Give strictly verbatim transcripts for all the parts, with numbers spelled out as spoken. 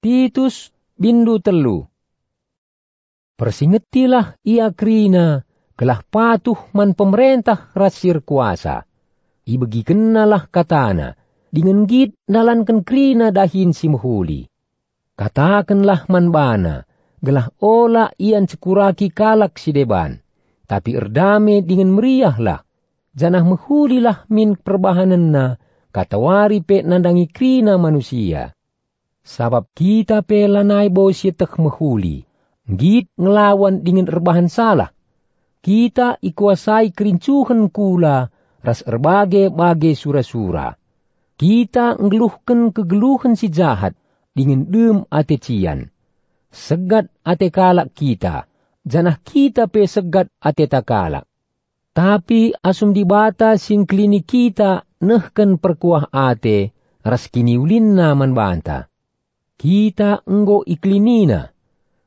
Titus, bindu telu. Persingetilah ia kerina gelah patuh man pemerentah ras si erkuasa. Ibegikennalah katana, dingen nggit ndalanken kerina dahin si mehuli. Katakenlah man bana, gelah ola ia ncekuraki kalak si deban, tapi erdame dingen meriahlah, janah mehulilah min perbahanenna, katawari pe nandangi kerina manusia. Sabap kita pe lanai bo sieteh mehuli, nggit ngelawan dingen erbahan salah. Kita ikuasai kerincuhen kula ras erbage-bage sura-sura. Kita nggeluhken kegeluhen si jahat dingen dem ate cian. Segat ate kalak kita, janah kita pe segat ateta kalak. Tapi asum Dibata si ngkelini kita nehken perkuah ate ras kiniulinNa man banta. Kita enggo ikelininNa.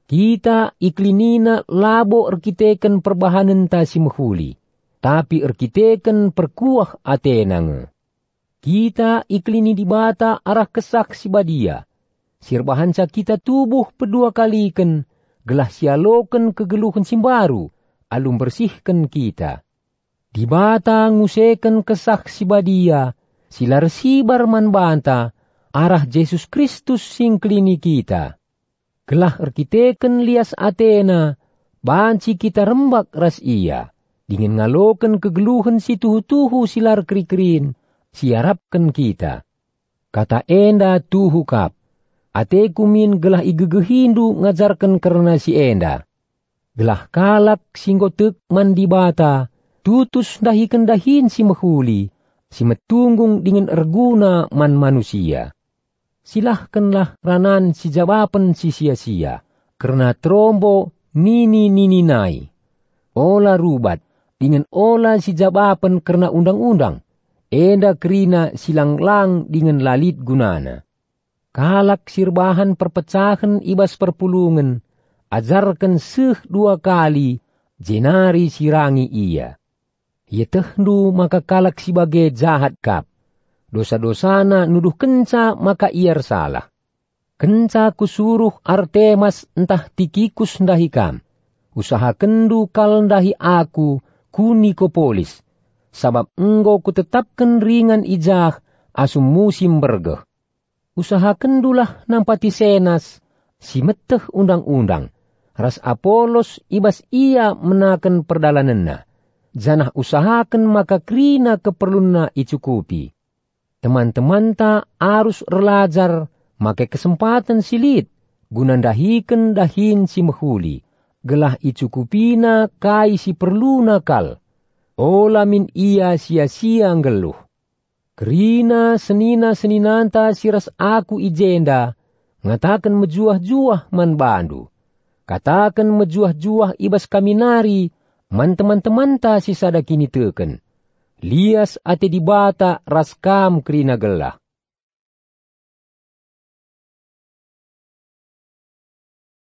Kita ikelininNa labo erkiteken perbahanenta si mehuli, tapi erkiteken perkuah ateNa nge. Kita ikelini Dibata arah Kesah Si Badia, si erbahanca kita tubuh pedua kaliken, gelah sialoken kegeluhen si mbaru alu mbersihken kita. Dibata nguseken Kesah Si Badia si la ersibar man banta arah Jesus Kristus si ngkelini kita. Gelah erkiteken lias ateNa, banci kita rembak ras IA, dingen ngaloken kegeluhen si tuhu-tuhu si la erkeri-kerin si iarapken kita. Kata enda tuhu kap. Ateku min gelah igegehindu ngajarken kerna si enda. Gelah kalak si enggo tek man Dibata tutus ndahiken dahin si mehuli, si metunggung dingen erguna man manusia. Silahkenlah ranan sijabapen si sia-sia, kerna terombo nini-nini nai. Ola rubat, dingen ola sijabapen kerna undang-undang, enda kerina si lang-lang dingen la lit gunana. Kalak si erbahan perpecahen i bas perpulungen, ajarken seh dua kali, jenari sirangi ia. Ietehndu maka kalak si bage jahat kap. Dosa-dosana nuduhkenca maka ia ersalah. Kenca kusuruh Artemas ntah Tikikus ndahi kam, usahakenndu kal ndahi aku ku Nikopolis, sabap enggo kutetapken ringan i jah asum musim mbergeh. Usahakenndulah nampati Senas, si meteh undang-undang, ras Apolos i bas ia menaken perdalanenna, janah usahaken maka kerina keperlunna icukupi. Teman-temanta arus erlajar make kesempaten si lit guna ndahiken dahin si mehuli, gelah icukupina kai si perluna kal. Ola min ia sia-sia nggeluh. Kerina senina-seninanta si ras aku i jenda ngataken mejuah-juah man bandu. Kataken mejuah-juah i bas kami nari man teman-temanta si sada kiniteken. Lias ate Dibata ras kam kerina gelah.